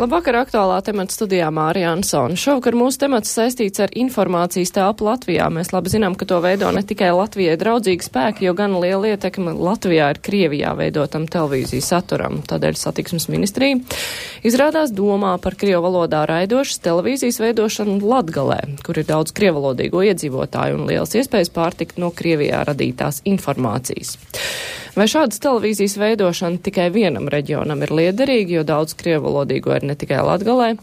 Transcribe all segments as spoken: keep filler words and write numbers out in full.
Labvakar, aktuālā temata studijā Mārija Ansone. Šovakar mūsu temats saistīts ar informācijas telpu Latvijā. Mēs labi zinām, ka to veido ne tikai Latvijai draudzīgi spēki, jo gan liela ietekme Latvijā ir Krievijā veidotam televīzijas saturam. Tādēļ satiksmes ministrija izrādās domā par krievu valodā raidošas televīzijas veidošanu Latgalē, kur ir daudz krievalodīgo iedzīvotāju un lielas iespējas pārtikt no Krievijā radītās informācijas. Vai šādas televīzijas veidošana tikai vienam reģionam ir liederīga, jo daudz krievalodīgo ir ne tikai Latgalē?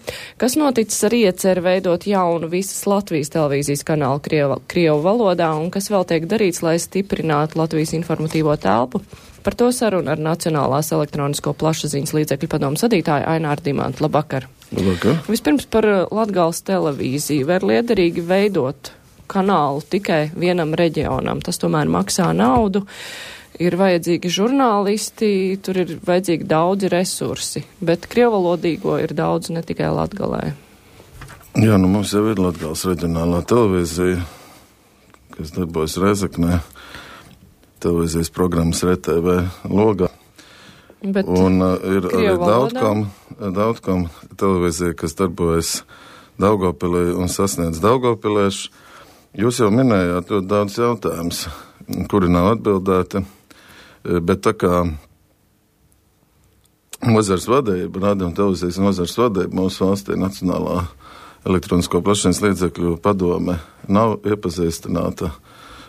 Kas noticis ar ieceri veidot jaunu visas Latvijas televīzijas kanālu Krieva, Krievu valodā un kas vēl tiek darīts, lai stiprinātu Latvijas informatīvo telpu? Par to sarunu ar Nacionālās elektronisko plašsaziņas līdzekļu padomu sadītāju Aināru Dimantu. Labvakar. Labvakar. Vispirms par Latgales televīziju. Vai ir liederīgi veidot kanālu tikai vienam reģionam? Tas tomēr maksā naudu. Ir vajadzīgi žurnālisti, tur ir vajadzīgi daudzi resursi, bet krievalodīgo ir daudz ne tikai Latgalē. Jā, nu mums jau ir Latgales reģionālā televīzija, kas darbojas Rezeknē, televīzijas programmas R T V logā. Bet un uh, ir arī Daudkam, Daudkam televīzija, kas darbojas Daugavpilī un sasniedz daugavpiliešu. Jūs jau minējāt ļoti daudz jautājumus, kuri nav atbildēti. Bet tā kā nozars vadība, radio un televīzijas nozars vadība mūsu valstī Nacionālā elektronisko plašsaziņas līdzekļu padome nav iepazīstināta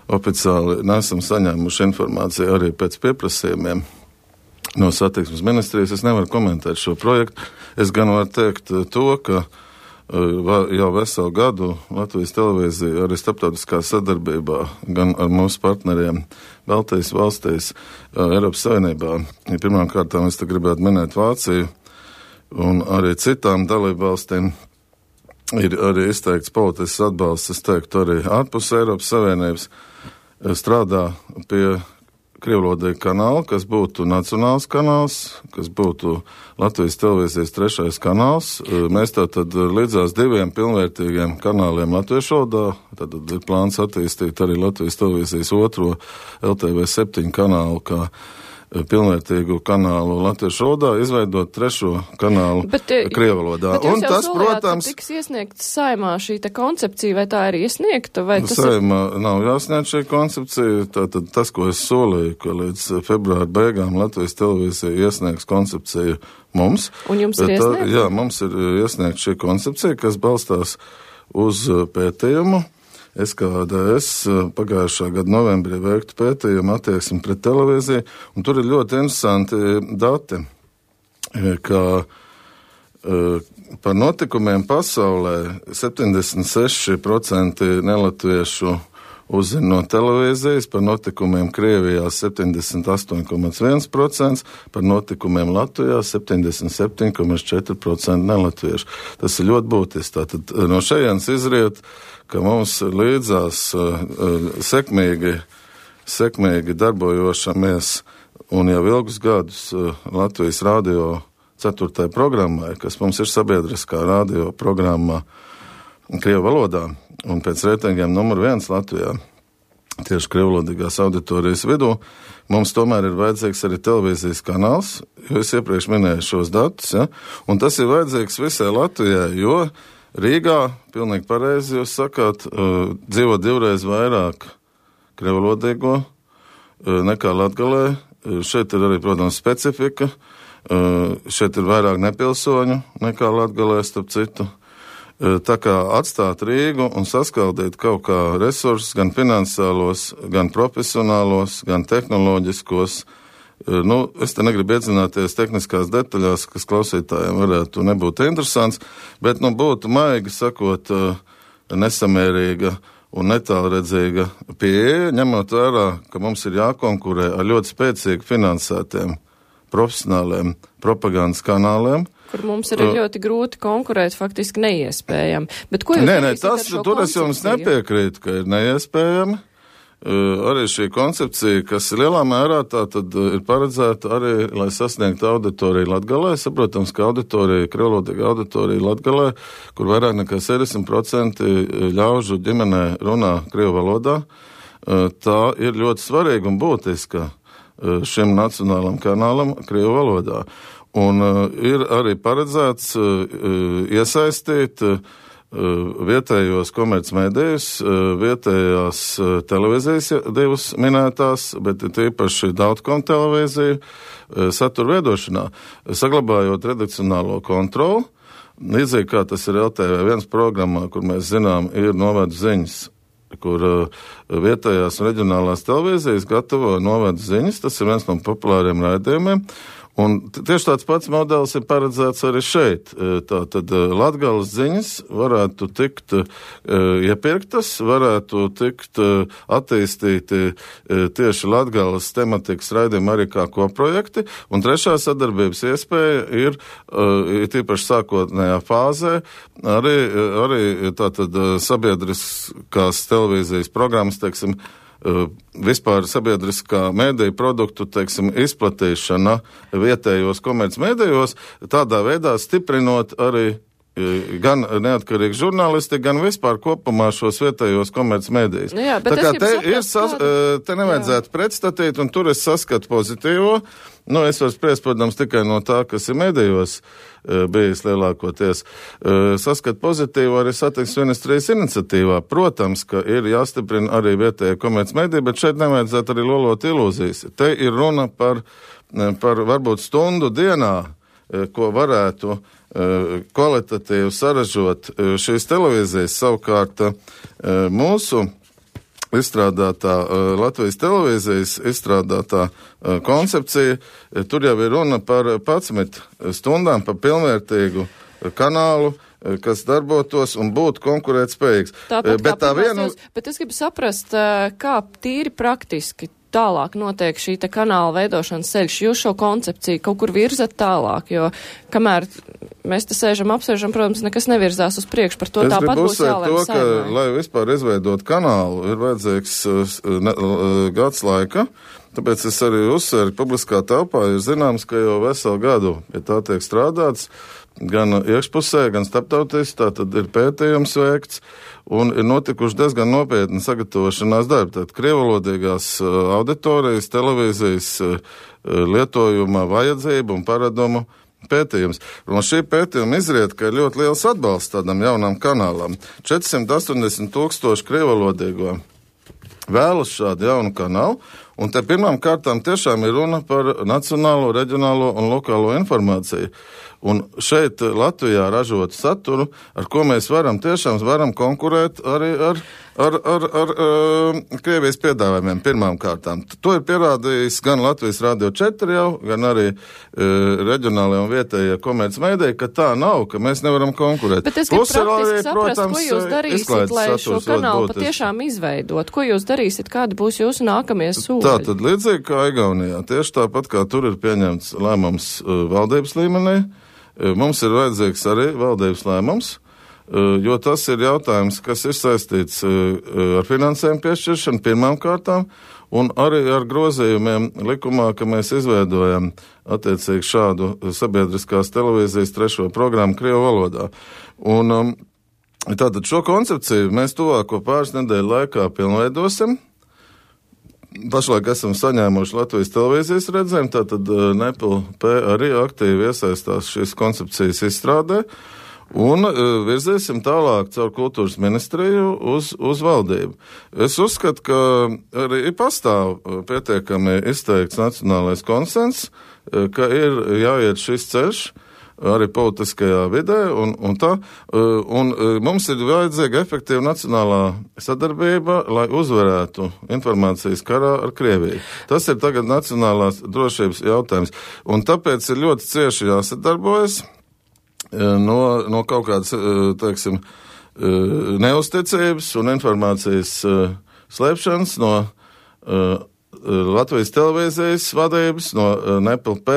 oficiāli, nesam saņēmuši informāciju arī pēc pieprasījumiem no satiksmes ministrijas. Es nevaru komentēt šo projektu. Es gan varu teikt to, ka jau veselu gadu Latvijas televīzija arī starptautiskā sadarbībā gan ar mūsu partneriem Baltijas valstīs, Eiropas Savienībā. Pirmām kārtām es te gribētu minēt Vāciju un arī citām dalību valstīm ir arī izteikts politisks atbalsts, es teiktu, arī ārpus Eiropas Savienības strādā pie krievvalodīga kanāla, kas būtu nacionāls kanāls, kas būtu Latvijas televīzijas trešais kanāls. Mēs tātad līdzās diviem pilnvērtīgiem kanāliem latviešu valodā, tad ir plāns attīstīt arī Latvijas televīzijas otro L T V septiņu kanālu, kā pilnvērtīgu kanālu latviešu valodā, izveidot trešo kanālu krievu valodā. Bet jūs un jau tas, solījāt, protams, ka tiks iesniegta saimā šī te koncepcija, vai tā ir iesniegta? Vai tas saimā ir... nav jāsniedz šī koncepcija, tātad tas, ko es solīju, ka līdz februāra beigām Latvijas televīzija iesniegs koncepciju mums. Un jums ir iesniegta? Jā, mums ir iesniegta šī koncepcija, kas balstās uz pētījumu. S K A D S pagājušā gada novembrī veiktu pētījumu attieksmi pret televīziju, un tur ir ļoti interesanti dati, ka par notikumiem pasaulē septiņdesmit seši procenti nelatviešu uzzina no televīzijas, par notikumiem Krievijā septiņdesmit astoņi komats viens procents, par notikumiem Latvijā septiņdesmit septiņi komats četri procenti nelatviešu. Tas ir ļoti būtiski. Tātad no šejienes izriet, ka mums līdzās uh, sekmīgi, sekmīgi darbojošamies un jau ilgus gadus uh, Latvijas radio ceturtajai programmai, kas mums ir sabiedriskā radio programmā krievu valodā un pēc reitingiem numur viens Latvijā, tieši krievvalodīgās auditorijas vidū, mums tomēr ir vajadzīgs arī televīzijas kanāls, jo es iepriekš minēju šos datus, ja? Un tas ir vajadzīgs visai Latvijai, jo Rīgā, pilnīgi pareizi jūs sakāt, uh, dzīvo divreiz vairāk krievvalodīgo uh, nekā Latgalē. Uh, šeit ir arī, protams, specifika. Uh, šeit ir vairāk nepilsoņu nekā Latgalē, starp citu. Uh, tā kā atstāt Rīgu un saskaldīt kaut kā resursus, gan finansiālos, gan profesionālos, gan tehnoloģiskos. Nu, es te negribu iedzināties tehniskās detaļās, kas klausītājiem varētu nebūt interesants, bet, nu, būtu maigi sakot nesamērīga un netālredzīga pieeja, ņemot vērā, ka mums ir jākonkurē ar ļoti spēcīgi finansētiem profesionāliem propagandas kanāliem. Kur mums ir uh, ļoti grūti konkurēt, faktiski neiespējami. Bet ko jūs nē, nē, tas, tur es jums nepiekrītu, ka ir neiespējami. Uh, arī šī koncepcija, kas lielā mērā tā tad ir paredzēta arī, lai sasniegtu auditoriju Latgalē. Saprotams, ka auditorija, krievvalodīga auditorija Latgalē, kur vairāk nekā sešdesmit procenti ļaužu ģimenē runā krievu valodā, uh, tā ir ļoti svarīga un būtiska uh, šim nacionālam kanālam krievu valodā. Un uh, ir arī paredzēts uh, iesaistīt uh, vietējos komercmedijus, uh, vietējās uh, televīzijas divas minētās, bet tīpaši Dautkom televīziju uh, satura veidošanā, saglabājot redakcionālo kontroli. Līdzīgi kā tas ir L T V viens programmā, kur mēs zinām, ir novedu ziņas, kur uh, vietējās un reģionālās televīzijas gatavo novedu ziņas. Tas ir viens no populāriem raidījumiem. Un tieši tāds pats modelis ir paredzēts arī šeit. Tātad Latgales ziņas varētu tikt uh, iepirktas, varētu tikt uh, attīstīti uh, tieši Latgales tematikas raidījumi arī kā koprojekti. Un trešā sadarbības iespēja ir, uh, ir tīpaši sākotnējā fāzē, arī, arī tātad sabiedriskās televīzijas programmas, teiksim, vispār sabiedriskā mēdīja produktu, teiksim, izplatīšana vietējos komercmedijos, tādā veidā stiprinot arī gan neatkarīgi žurnālisti, gan vispār kopumā šos vietējos komercmedijus. Nu jā, tā kā te, saprast, ir sas, te nevajadzētu jā. pretstatīt, un tur es saskatu pozitīvo. Nu, es varu spriest, protams, tikai no tā, kas ir medijos bijis lielākoties. Saskat pozitīvu arī satiksmes ministrijas iniciatīvā. Protams, ka ir jāstiprina arī vietējie komercmediji, bet šeit nevajadzētu arī lolot ilūzijas. Te ir runa par, par varbūt stundu dienā, ko varētu kvalitatīvi saražot šīs televīzijas. Savukārt mūsu izstrādātā Latvijas televīzijas izstrādātā koncepcija, tur jau ir runa par padsmit stundām, par pilnvērtīgu kanālu, kas darbotos un būtu konkurētspējīgs. Tāpat bet, tā vienu... bet es gribu saprast, kā tīri praktiski tālāk notiek šī te kanāla veidošanas ceļš. Jūs šo koncepciju kaut kur virzat tālāk, jo kamēr mēs te sēžam, apsēžam, protams, nekas nevirzās uz priekšu, par to es tāpat būs jālēm to, saimai. ka, lai vispār izveidot kanālu, ir vajadzīgs ne, gads laika, tāpēc es arī uzsveru, publiskā telpā ir zināms, ka jau veselu gadu pie tā tiek strādāts, gan iekšpusē, gan starptautiski, tā tad ir pētījums veikts, un ir notikuši diezgan nopietni sagatavošanās darbi. Tātad krievalodīgās auditorijas, televīzijas lietojuma vajadzību un paradumu pētījums. Un šī pētījuma izriet, ka ir ļoti liels atbalsts tādam jaunam kanālam. četrsimt astoņdesmit tūkstoši krievalodīgo vēlas šādu jaunu kanālu, un te pirmām kārtām tiešām ir runa par nacionālo, reģionālo un lokālo informāciju. Un šeit Latvijā ražot saturu, ar ko mēs varam tiešām varam konkurēt arī ar, ar, ar, ar uh, Krievijas piedāvājumiem pirmām kārtām. To ir pierādījis gan Latvijas Rādio četri jau, gan arī uh, reģionālajie un vietējie komercmediji, ka tā nav, ka mēs nevaram konkurēt. Bet es gribu praktiski saprast, protams, ko jūs darīsiet, lai šo kanālu patiešām izveidot. Ko jūs darīsiet, kādi būs jūsu nākamie soļi? Tā tad līdzīgi kā Igaunijā, tieši tāpat kā tur ir pieņemts lēmums uh, valdības līmenī, mums ir vajadzīgs arī valdības lēmums, jo tas ir jautājums, kas ir saistīts ar finansējumu piešķiršanu pirmām kārtām un arī ar grozījumiem likumā, ka mēs izveidojam attiecīgi šādu sabiedriskās televīzijas trešo programmu Krievu valodā. Un tātad šo koncepciju mēs tuvāko pāris nedēļu laikā pilnveidosim. Pašlaik esam saņēmuši Latvijas televīzijas redzējumu, tātad N E P L P arī aktīvi iesaistās šīs koncepcijas izstrādē un virzīsim tālāk caur kultūras ministriju uz, uz valdību. Es uzskatu, ka arī pastāv pietiekami izteikts nacionālais konsens, ka ir jāiet šis ceļš arī politiskajā vidē, un, un tā, un mums ir vajadzīga efektīva nacionālā sadarbība, lai uzvarētu informācijas karā ar Krieviju. Tas ir tagad nacionālās drošības jautājums, un tāpēc ir ļoti cieši jāsadarbojas no, no kaut kādas, teiksim, neusticības un informācijas slēpšanas no Latvijas televīzijas vadības, no N E P L P,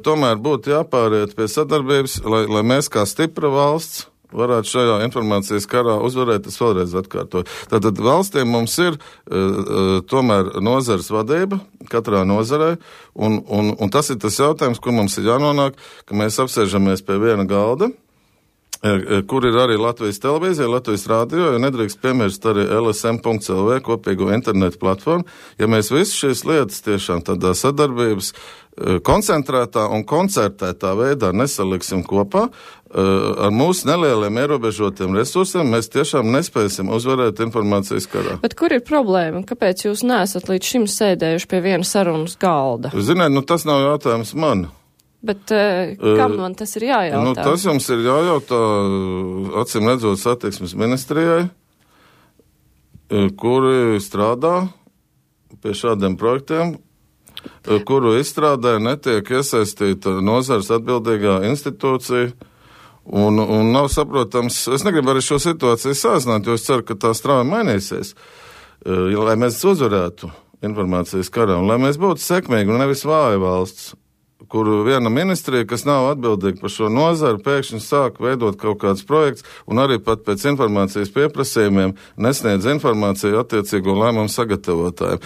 tomēr būtu jāpāriet pie sadarbības, lai, lai mēs kā stipra valsts varētu šajā informācijas karā uzvarēt, es vēlreiz atkārtoju. Tātad valstīm mums ir uh, tomēr nozares vadība, katrā nozarē, un, un, un tas ir tas jautājums, kur mums ir jānonāk, ka mēs apsēžamies pie viena galda, kur ir arī Latvijas televīzija, Latvijas rādio, jo nedrīkst piemirst arī L S M punkts L V kopīgo internetu platformu. Ja mēs visu šīs lietas tiešām tādā sadarbības koncentrētā un koncertētā veidā nesaliksim kopā, ar mūsu nelieliem ierobežotiem resursiem mēs tiešām nespēsim uzvarēt informācijas karā. Bet kur ir problēma? Kāpēc jūs neesat līdz šim sēdējuši pie viena sarunas galda? Ziniet, nu tas nav jautājums man. Bet uh, kam man tas ir jājautā? Nu, tas jums ir jājautā, acīm redzot, satiksmes ministrijai, kuri strādā pie šādiem projektiem, kuru izstrādē netiek iesaistīta nozars atbildīgā institūcija, un, un nav saprotams, es negribu arī šo situāciju sāzināt, jo es ceru, ka tā strauji mainīsies, lai mēs uzvarētu informācijas karā, un lai mēs būtu sekmīgi un nevis vāja valsts, kuru viena ministrija, kas nav atbildīga par šo nozaru, pēkšņi sāk veidot kaut kāds projekts un arī pat pēc informācijas pieprasījumiem nesniedz informāciju attiecīgo lēmumu sagatavotājiem.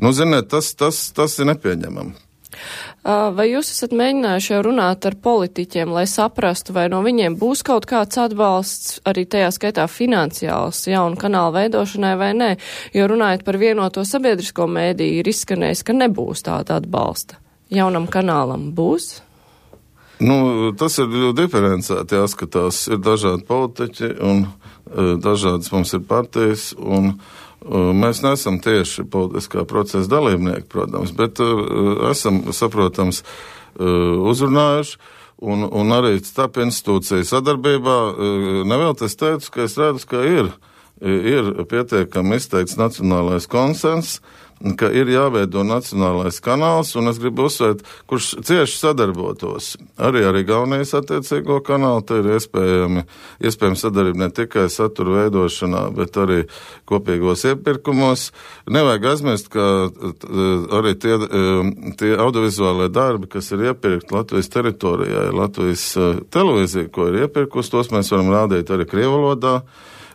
Nu, ziniet, tas, tas, tas ir nepieņemami. Vai jūs esat mēģinājuši jau runāt ar politiķiem, lai saprastu, vai no viņiem būs kaut kāds atbalsts, arī tajā skaitā finansiāls jaunu kanālu veidošanai vai nē? Jo runājot par vienoto sabiedrisko mēdīju, ir izskanējis, ka nebūs tāda atbalsta. Jaunam kanālam būs? Nu, tas ir ļoti diferencēti jāskatās. Ir dažādi politiķi un uh, dažādas mums ir partijas, un uh, mēs neesam tieši politiskā procesa dalībnieki, protams, bet uh, esam, saprotams, uh, uzrunājuši, un, un arī starp institūciju sadarbībā. Uh, nevēl es teicu, ka es redzu, ka ir, ir pietiekami izteikts nacionālais konsens, ka ir jāveido nacionālais kanāls, un es gribu uzsvērt, kurš cieši sadarbotos. Arī arī Gaunijas attiecīgo kanālu, te ir iespējami, iespējami sadarbība ne tikai satura veidošanā, bet arī kopīgos iepirkumos. Nevajag aizmirst, ka arī tie, tie audiovizuālie darbi, kas ir iepirkti Latvijas teritorijā, Latvijas televīzija, ko ir iepirkus, tos mēs varam rādīt arī krievu valodā.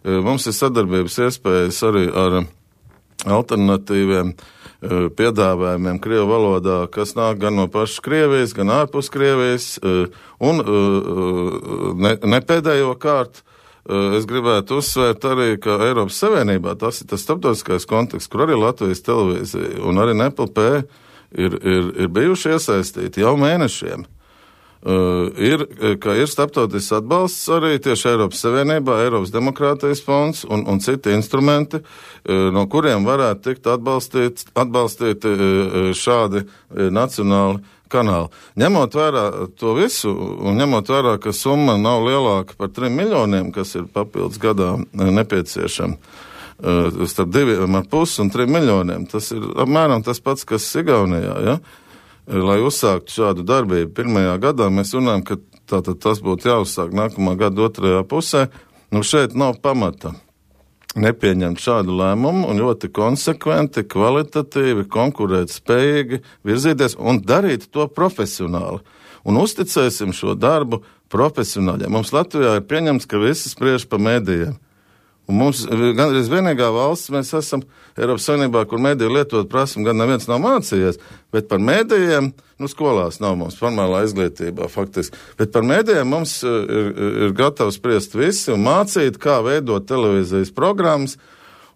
Mums ir sadarbības iespējas arī ar alternatīviem piedāvājumiem Krievu valodā, kas nāk gan no pašas Krievijas, gan ārpus Krievijas, un ne, ne pēdējo kārtu es gribētu uzsvērt arī, ka Eiropas Savienībā tas ir tas starptautiskais konteksts, kur arī Latvijas televīzija un arī N P L P ir, ir, ir bijuši iesaistīti jau mēnešiem. Uh, ir, ka ir starptautisks atbalsts arī tieši Eiropas Savienībā, Eiropas demokrātijas fonds un, un citi instrumenti, uh, no kuriem varētu tikt atbalstīt, atbalstīt uh, šādi uh, nacionāli kanāli. Ņemot vērā to visu un ņemot vērā, ka summa nav lielāka par trim miljoniem, kas ir papildus gadā nepieciešama, uh, starp diviem ar pus un trim miljoniem, tas ir apmēram tas pats, kas Igaunijā, ja? Lai uzsāktu šādu darbību pirmajā gadā, mēs runājam, ka tātad tas būtu jāuzsāk nākamā gada otrajā pusē. Nu, šeit nav pamata nepieņemt šādu lēmumu un ļoti konsekventi, kvalitatīvi, konkurēt spējīgi virzīties un darīt to profesionāli. Un uzticēsim šo darbu profesionāļiem. Mums Latvijā ir pieņemts, ka visi spriež pa mēdījiem. Un mums gandrīz vienīgā valsts mēs esam Eiropas Savienībā, kur mēdīju lietot prasam, gan neviens nav mācījies, bet par mēdījiem, nu skolās nav mums formālā izglītībā faktiski, bet par mēdījiem mums ir, ir gatavs spriest visi un mācīt, kā veidot televīzijas programmas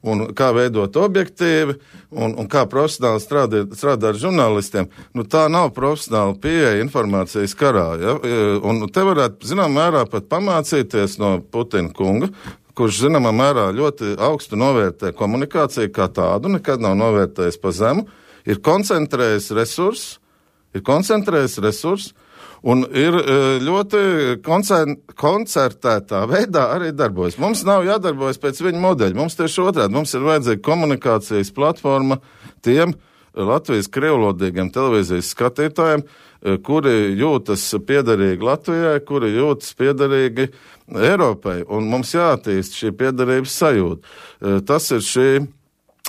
un kā veidot objektīvi un, un kā profesionāli strādāt, strādāt ar žurnālistiem. Nu tā nav profesionāla pieeja informācijas karā, ja? Un te varētu, zinām, mērā pat pamācīties no Putina kunga, kurš, zināmā mērā, ļoti augstu novērtē komunikāciju kā tādu, nekad nav novērtējis pa zemu, ir koncentrējis resursus, ir koncentrējis resursus, un ir ļoti koncertētā veidā arī darbojas. Mums nav jādarbojas pēc viņa modeļa, mums tieši otrādi, mums ir vajadzīga komunikācijas platforma tiem Latvijas krievlodīgiem televīzijas skatītājiem, kuri jūtas piederīgi Latvijai, kuri jūtas piederīgi Eiropai, un mums jāattīst šī piederības sajūta. Tas ir šī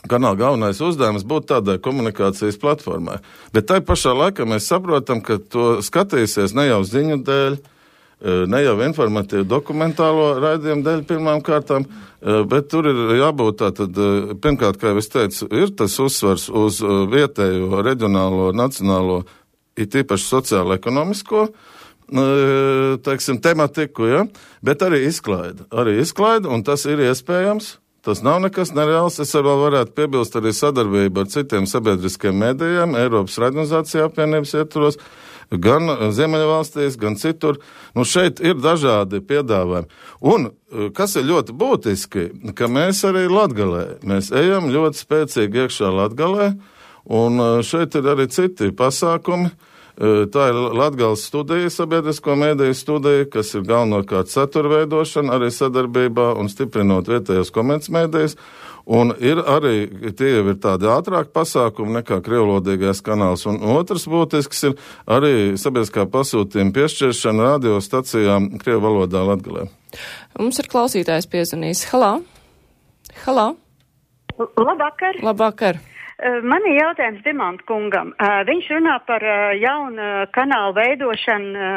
kanāla galvenais uzdevums būt tādai komunikācijas platformai. Bet tai pašā laikā mēs saprotam, ka to skatīsies ne jau ziņu dēļ, ne jau informatīvu dokumentālo raidījumu dēļ pirmām kārtām, bet tur ir jābūt tātad, pirmkārt, kā jau es teicu, ir tas uzsvars uz vietējo, reģionālo, nacionālo, it īpaši sociālo-ekonomisko teiksim, tematiku, ja? Bet arī izklaida. Arī izklaida, un tas ir iespējams. Tas nav nekas nereāls. Es vēl varētu piebilst arī sadarbību ar citiem sabiedriskiem medijiem, Eiropas radionizācija apvienības ietvaros, gan Ziemeļvalstīs, gan citur. Nu, šeit ir dažādi piedāvājumi. Un, kas ir ļoti būtiski, ka mēs arī Latgalē, mēs ejam ļoti spēcīgi iekšā Latgalē, un šeit ir arī citi pasākumi. Tā ir Latgales studija, sabiedrisko mediju studija, kas ir galvenokārt satura veidošana, arī sadarbībā un stiprinot vietējos komercmedijas. Un ir arī, tie jau ir tādi ātrāki pasākumi nekā krievlodīgais kanāls. Un otrs būtisks ir arī sabiedriskā pasūtījuma piešķiršana radiostacijām krievu valodā Latgalē. Mums ir klausītājs piezvanījis. Halā? Halā? Labvakar. Labvakar. Man ir jautājums Dimanta kungam. Viņš runā par jaunu kanālu veidošanu.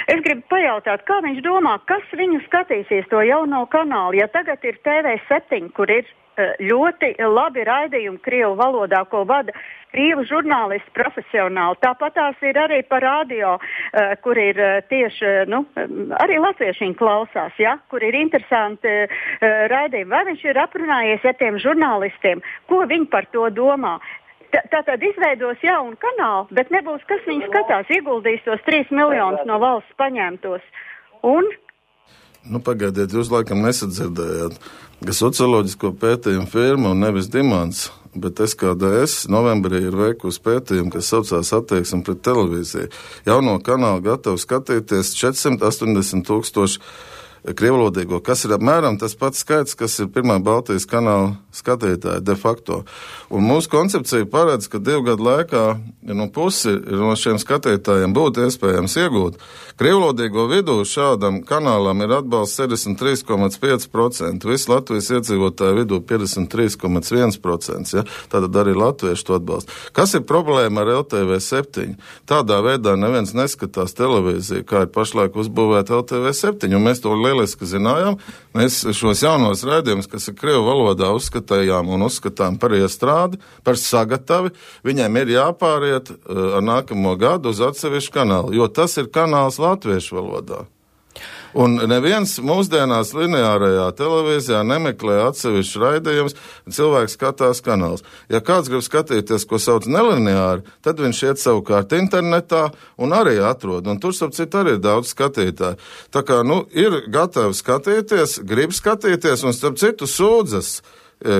Es gribu pajautāt, kā viņš domā, kas viņu skatīsies to jauno kanālu, ja tagad ir T V septiņi, kur ir ļoti labi raidījumi krievu valodā, ko vada krievu žurnālisti profesionāli. Tāpat tās ir arī par radio, kur ir tieši, nu, arī latvieši viņi klausās, ja, kur ir interesanti raidījumi. Vai viņš ir aprunājies ar tiem žurnālistiem, ko viņi par to domā? Tātad izveidos jaunu kanālu, bet nebūs, kas viņi skatās, ieguldīs tos trīs miljonus no valsts paņemtos. Un? Nu, pagaidiet, jūs laikam nesadzirdējāt, ka socioloģisko pētījumu firma un nevis Dimants, bet S K D S novembrī ir veikusi pētījumu, kas saucās attieksme pret televīziju. Jauno kanālu gatavu skatīties četrsimt astoņdesmit tūkstoši krievlodīgo, kas ir apmēram tas pats skaits, kas ir pirmā Baltijas kanāla skatītāja de facto. Un mūsu koncepcija paredz, ka divu gadu laikā no pusi no šiem skatītājiem būtu iespējams iegūt. Krievlodīgo vidū šādam kanālam ir atbalsts sešdesmit trīs komats pieci procenti, visu Latvijas iedzīvotāju vidū piecdesmit trīs komats viens procents, ja? Tātad arī latvieši to atbalsta. Kas ir problēma ar L T V septiņi? Tādā veidā neviens neskatās televīziju, kā ir pašlaik uzbūvēta L T V septiņi, un mēs to lieliski zinājām. Mēs šos jaunos raidījumus, kas ir krievu valodā, uzskatījām un uzskatām par iestrādi, par sagatavi. Viņiem ir jāpāriet uh, ar nākamo gadu uz atsevišķu kanālu, jo tas ir kanāls latviešu valodā. Un neviens mūsdienās lineārajā televīzijā nemeklē atsevišķu raidījumus, cilvēks skatās kanāls. Ja kāds grib skatīties, ko sauc nelineāri, tad viņš iet savukārt internetā un arī atrod. Un tur, starp citu, arī ir daudz skatītāju. Tā kā, nu, ir gatavi skatīties, grib skatīties un, starp citu, sūdzas,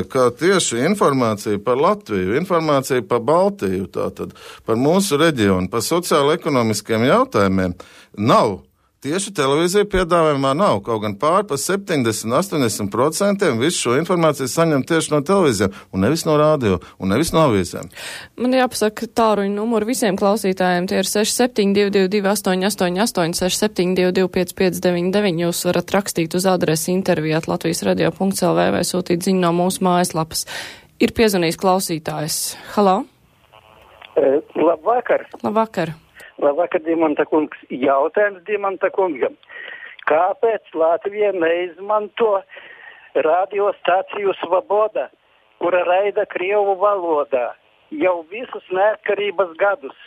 ka tieši informācija par Latviju, informācija par Baltiju, tātad par mūsu reģionu, par sociālo-ekonomiskiem jautājumiem nav. Tieši televīzija piedāvājumā nav, kaut gan pār par septiņdesmit līdz astoņdesmit procentiem visu šo informāciju saņem tieši no televīzijām, un nevis no radio, un nevis no avīzēm. Man jāpasaka tāruņu numuru visiem klausītājiem, tie ir seši septiņi divi divi divi astoņi astoņi astoņi, seši septiņi divi divi pieci pieci deviņi deviņi. Jūs varat rakstīt uz adresi intervijāt latvijas radio punkts l v vai sūtīt ziņu no mūsu mājaslapas. Ir piezvanījis klausītājs. Halā? E, labvakar. Labvakar. Labvakar, Dimanta kungs. Jautājums Dimanta kungam. Kāpēc Latvija neizmanto radiostaciju Svoboda, kura raida krievu valodā? Jau visus neatkarības gadus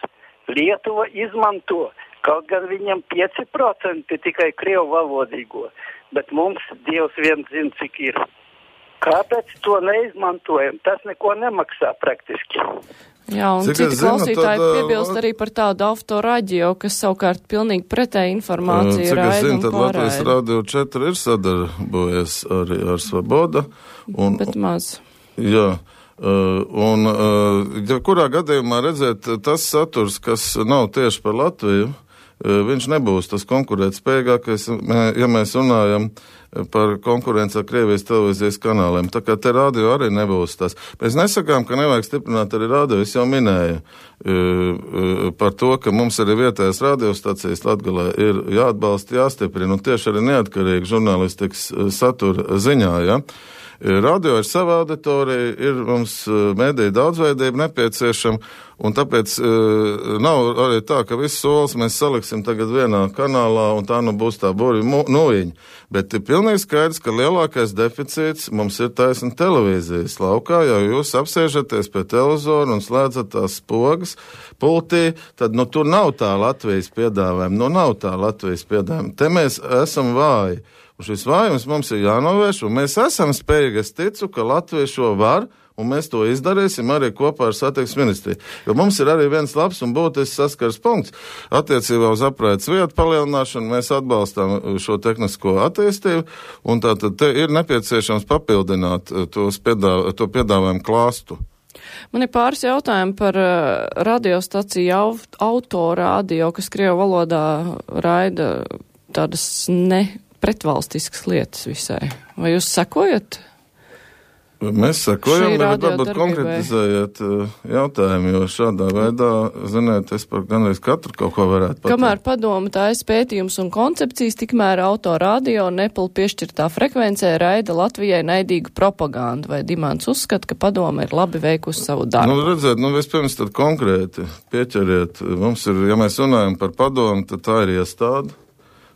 Lietuva izmanto, kaut gan viņam pieci procenti tikai krievu valodīgo, bet mums Dievs viens zina, cik ir. Kāpēc to neizmantojam? Tas neko nemaksā praktiski. Jā, un cik citi zinu, klausītāji tad, piebilst arī par tādu autoradio, kas savukārt pilnīgi pretēji informāciju Cik raida es zinu, un tad Latvijas pārraida. radio četri ir sadarbojies arī ar Svoboda. Un, Bet maz. jā, un ja kurā gadījumā redzēt tas saturs, kas nav tieši par Latviju, viņš nebūs tas konkurētspējīgākais, ja mēs runājam par konkurenci ar Krievijas televīzijas kanāliem. Tā kā te radio arī nebūs tas. Mēs nesakām, ka nevajag stiprināt arī radio. Es jau minēju par to, ka mums arī vietējās radiostacijas Latgalē ir jāatbalsta, jāstiprina, un tieši arī neatkarīgi žurnālistikas satura ziņā, ja. Radio ir sava auditorija, ir mums mediju daudzveidība nepieciešama, un tāpēc uh, nav arī tā, ka visus solis mēs saliksim tagad vienā kanālā, un tā nu būs tā burvi nūjiņa. Bet ir pilnīgi pilnīgi skaidrs, ka lielākais deficīts mums ir taisna televīzijas laukā, jo jūs apsēžaties pie televizora un slēdzat tās spogas pultī, tad nu tur nav tā Latvijas piedāvājuma, nu nav tā Latvijas piedāvājuma. Te mēs esam vāji. Un šis vājums mums ir jānovērš, un mēs esam spējīgi, es ticu, ka Latvija šo var, un mēs to izdarīsim arī kopā ar satiksmes ministriju. Jo mums ir arī viens labs un būtisks saskars punkts. Attiecībā uz apraides vietu palielināšanu mēs atbalstām šo tehnisko attīstību, un tātad te ir nepieciešams papildināt tos piedāv, to piedāvājumu klāstu. Man ir pāris jautājumi par uh, radiostaciju autorādio, kas krievu valodā raida tādas ne pretvalstiskas lietas visai. Vai jūs sekojat? Mēs sekojam, bet varbūt konkretizējiet jautājumu, jo šādā veidā, ziniet, es par gandrīz katru kaut ko varētu pateikt. Kamēr padoma taisa pētījums un koncepcijas, tikmēr autorādio un Apple piešķirtā frekvencē raida Latvijai naidīgu propagandu, vai Dimants uzskata, ka padoma ir labi veikusi savu darbu? Nu, redziet, nu vispirms tad konkrēti pieķeriet. Mums ir, ja mēs runājam par padomu, tad tā ir iestāde,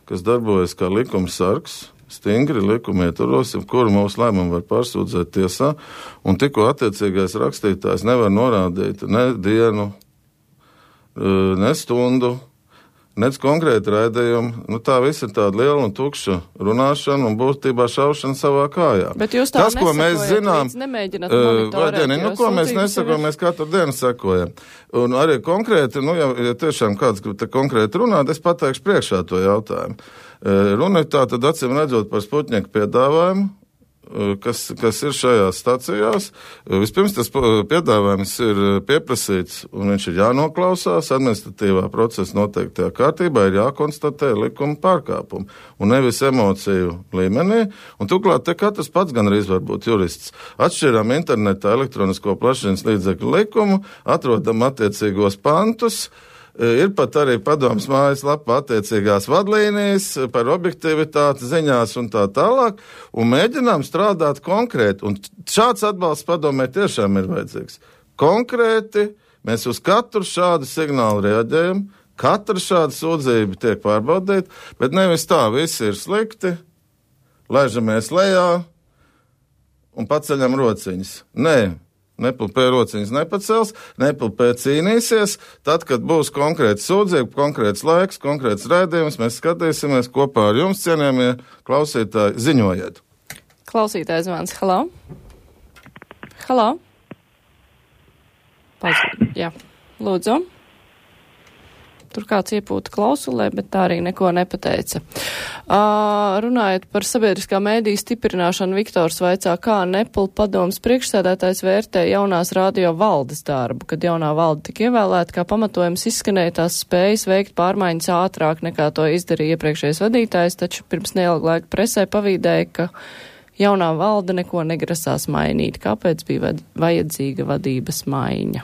kas darbojas kā likumsargs. Stingri likumi ietvaros, kuru mūsu lēmumu var pārsūdzēt tiesā, un tikko attiecīgais rakstītājs nevar norādīt ne dienu, ne stundu, nec konkrēti raidījumu. Nu, tā viss ir tāda liela un tukša runāšana un būtībā šaušana savā kājā. Bet jūs tā Tas, ko mēs zinām, nemēģināt monitorēt. Uh, nu, ko mēs nesakojam, mēs katru dienu sekojam. Un arī konkrēti, nu, ja, ja tiešām kāds grib te konkrēti runāt, es pateikšu priekšā to jautājumu. Uh, runa ir tā, tad acīm redzot par Sputņika piedāvājumu, Kas, kas ir šajās stacijās. Vispirms tas piedāvājums ir pieprasīts un viņš ir jānoklausās, administratīvā procesa noteiktajā kārtībā ir jākonstatē likuma pārkāpumi un nevis emociju līmenī. Un turklāt te katrs pats gan arī var būt jurists. Atšķirām internetā elektronisko plašsaziņas līdzekļu likumu, atrodam attiecīgos pantus. Ir pat arī padomas mājaslapā attiecīgās vadlīnijas par objektivitāti ziņās un tā tālāk, un mēģinām strādāt konkrēti. Un šāds atbalsts padomē tiešām ir vajadzīgs. Konkrēti mēs uz katru šādu signālu reaģējam, katra šāda sūdzība tiek pārbaudīta, bet nevis tā, visi ir slikti, laižamies lejā un paceļam rociņas. Nē. Nepilpē rociņas nepacels, nepilpē cīnīsies. Tad, kad būs konkrēts sūdzība, konkrēts laiks, konkrēts raidījums, mēs skatīsimies kopā ar jums, cienījamie klausītāji, ziņojiet. Klausītājs zvans, halā. Halā. Paldies. Jā, lūdzu. Tur kāds iepūta klausulē, bet tā arī neko nepateica. Uh, runājot par sabiedriskā mēdīja stiprināšanu, Viktors vaicā, kā Nepal padomas priekšsēdētājs vērtē jaunās radio valdes darbu, kad jaunā valde tika ievēlēta, kā pamatojums izskanēja tās spējas veikt pārmaiņas ātrāk nekā to izdarīja iepriekšējais vadītājs, taču pirms neilga laika presē pavīdēja, ka jaunā valde neko negrasās mainīt. Kāpēc bija vajadzīga vadības maiņa?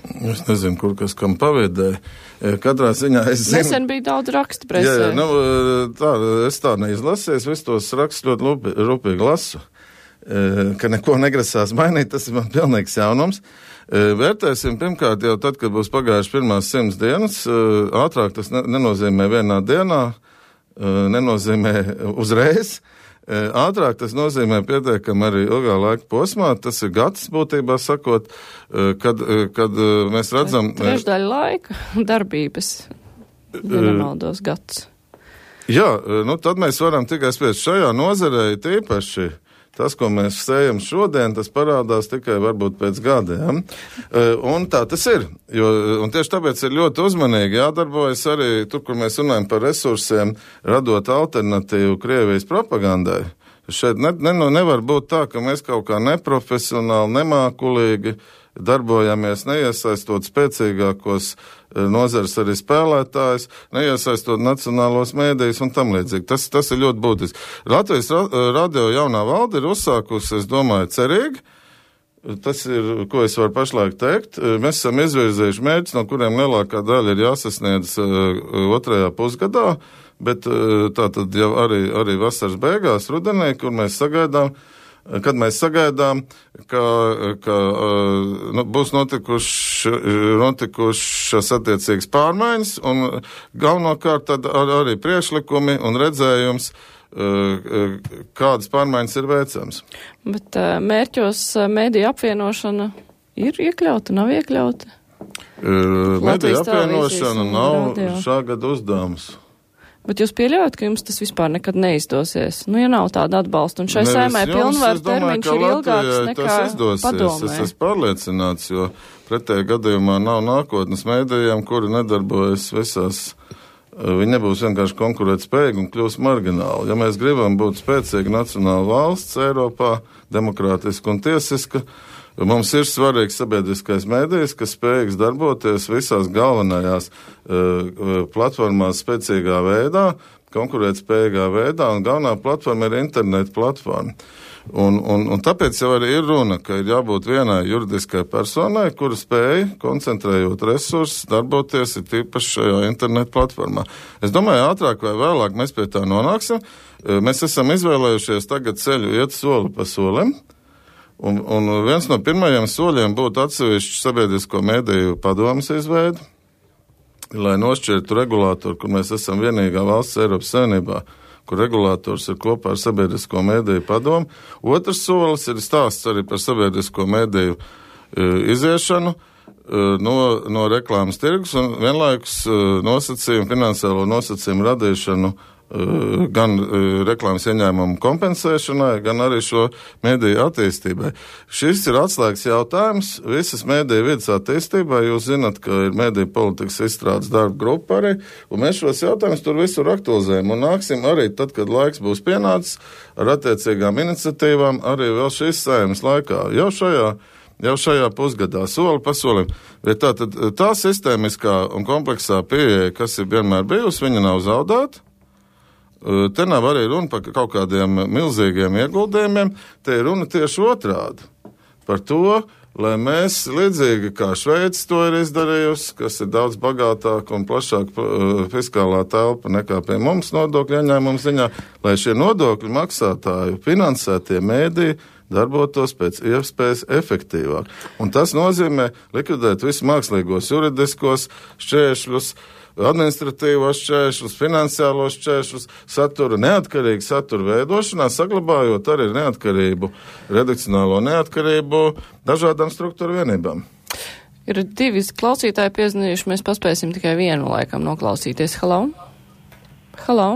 Es nezinu, kur kas kam paviedēja. Katrā ziņā es zinu... Nesen bija daudz rakstu presē. Jā, jā, nu, tā, es tā neizlasīju, visus tos rakstus ļoti lupi, rūpīgi lasu. Ka neko negrasās mainīt, tas ir man pilnīgs jaunums. Vērtēsim pirmkārt jau tad, kad būs pagājuši pirmās simts dienas. Ātrāk tas nenozīmē vienā dienā, nenozīmē uzreiz. Ātrāk tas nozīmē pietiekami arī ilgā laika posmā, tas ir gads būtībā sakot, kad, kad mēs redzam... Trešdaļa laika darbības, ja nemaldos gads. Jā, nu tad mēs varam tikai spriest šajā nozarē tīpaši. Tas, ko mēs sējam šodien, tas parādās tikai varbūt pēc gadiem. Un tā tas ir. Jo, un tieši tāpēc ir ļoti uzmanīgi jādarbojas arī tur, kur mēs runājam par resursiem, radot alternatīvu Krievijas propagandai. Šeit ne, ne, nevar būt tā, ka mēs kaut kā neprofesionāli, nemākulīgi darbojamies, neiesaistot spēcīgākos nozares arī spēlētājs, neiesaistot nacionālos mēdījus un tam līdzīgi. Tas, tas ir ļoti būtiski. Latvijas radio jaunā valde ir uzsākusi, es domāju, cerīgi. Tas ir, ko es varu pašlaik teikt. Mēs esam izvirzījuši mērķus, no kuriem lielākā daļa ir jāsasniedz otrajā pusgadā, bet tā tad jau arī, arī vasaras beigās, rudenī, kur mēs sagaidām, kad mēs sagaidām, ka, ka nu, būs notikuši, notikušas attiecīgas pārmaiņas un galvenokārt tad ar, arī priekšlikumi un redzējums kādas pārmaiņas ir veicams. Bet mērķos mēdīju apvienošana ir iekļauta, nav iekļauta? Mēdīju apvienošana nav radio. Šā gada uzdevums. Bet jūs pieļaujat, ka jums tas vispār nekad neizdosies? Nu, ja nav tāda atbalsta, un šai saimē pilnvaru termiņš ir ilgāks nekā padomē. Es esmu pārliecināts, jo pretējā gadījumā nav nākotnes mēdījiem, kuri nedarbojas visās. Viņi nebūs vienkārši konkurētspējīgi un kļūs margināli. Ja mēs gribam būt spēcīga nacionāla valsts Eiropā, demokrātiska un tiesiska, mums ir svarīgs sabiedriskais mēdījis, kas spējīgs darboties visās galvenajās uh, platformās spēcīgā veidā, konkurētspējīgā veidā, un galvenā platforma ir interneta platforma. Un, un, un tāpēc jau arī ir runa, ka ir jābūt vienai juridiskai personai, kura spēja, koncentrējot resursus, darboties ir tīpaši šajā internetu platformā. Es domāju, ātrāk vai vēlāk mēs pie tā nonāksim. Mēs esam izvēlējušies tagad ceļu iet soli pa solim, un, un viens no pirmajiem soļiem būtu atsevišķu sabiedrisko mēdīju padomas izveidi, lai nošķirtu regulātoru, kur mēs esam vienīgā valsts Eiropas Savienībā, kur regulators ir kopā ar sabiedrisko mēdīju padomu. Otrs solis ir stāsts arī par sabiedrisko mēdīju e, iziešanu e, no, no reklāmas tirgus un vienlaikus e, nosacījumu, finansiālo nosacījumu radīšanu gan reklāmas ieņēmumu kompensēšanai, gan arī šo mēdīju attīstībai. Šis ir atslēgas jautājums visas mēdīju vidas attīstībai. Jūs zinat, ka ir mēdīju politikas izstrādes darba grupa arī, un mēs šos jautājumus tur visur aktualizējam un nāksim arī tad, kad laiks būs pienācis ar attiecīgām iniciatīvām arī vēl šīs saeimas laikā. Jau šajā Jau šajā pusgadā, soli pa solim. Bet tā, tad, tā sistēmiskā un kompleksā pieeja, kas ir vienmēr bijusi, viņa nav zaudēta. Te nav arī runa par kaut kādiem milzīgiem ieguldījumiem, te ir runa tieši otrādi. Par to, lai mēs līdzīgi kā Šveice to ir izdarījusi, kas ir daudz bagātāka un plašāka fiskālā telpa nekā pie mums nodokļu ieņēmumu ziņā, lai šie nodokļu maksātāju finansētie mēdīji darbotos pēc iespējas efektīvāk. Un tas nozīmē likvidēt visus mākslīgos juridiskos šķēršļus, administratīvos šķēršļus, finansiālos šķēršļus, satura, neatkarīgu satura veidošanā, saglabājot arī neatkarību, redakcionālo neatkarību dažādām struktūru vienībām. Ir divi klausītāji piezīmējuši, mēs paspēsim tikai vienu laikam noklausīties. Halo? Halo?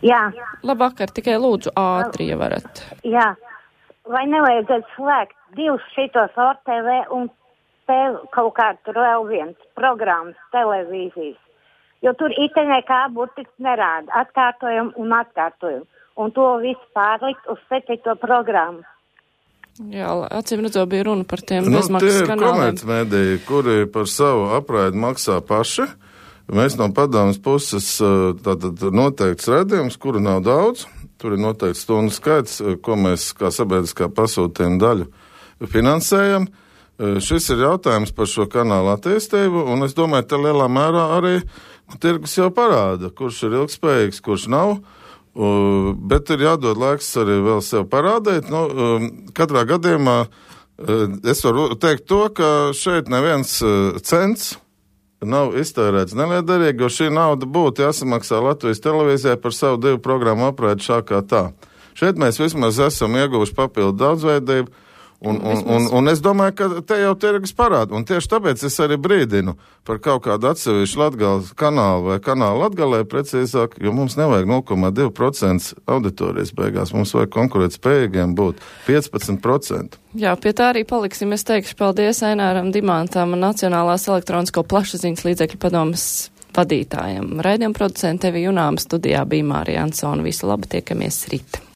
Jā. Labvakar, tikai lūdzu ātri, ja varat. Jā. Vai nevajadzētu slēgt divus šitos O R T V un te kaut kā tur vēl viens programmas televīzijas, jo tur itenē kā burtiski nerāda, atkārtojam un atkārtojam, un to visu pārlikt uz septīto programmu. Jā, acīm redzot, bija runa par tiem nu, bezmaksas kanāliem. Tie ir komercmediji, kuri par savu apraidi maksā paši. Mēs no padomas puses tātad noteikts redzījums, kuru nav daudz. Tur ir noteikts stundu skaits, ko mēs kā sabiedriskā pasūtījuma daļu finansējam. Šis ir jautājums par šo kanālu attīstību, un es domāju, ka lielā mērā arī nu, tirgus jau parāda, kurš ir ilgspējīgs, kurš nav, uh, bet ir jādod laiks arī vēl sev parādīt. Nu, uh, katrā gadījumā uh, es varu teikt to, ka šeit neviens uh, cents nav iztērēts neliederīgi, jo šī nauda būtu jāsamaksā Latvijas televīzijai par savu divu programmu apraidi šā kā tā. Šeit mēs vismaz esam ieguvuši papildu daudzveidību, un, un, un, un es domāju, ka te jau tirgus parāda, un tieši tāpēc es arī brīdinu par kaut kādu atsevišķu Latgales kanālu vai kanālu Latgalē precīzāk, jo mums nevajag nulle komats divi procenti auditorijas beigās, mums vajag konkurēt spējīgiem būt piecpadsmit procenti. Jā, pie tā arī paliksim. Es teikšu paldies Aināram Dimantam, Nacionālās elektronisko plašsaziņas līdzekļu padomes vadītājiem. Raidījuma producente Evi Junāma, studijā bija Mārija Ansona. Visu labu, tiekamies rīt.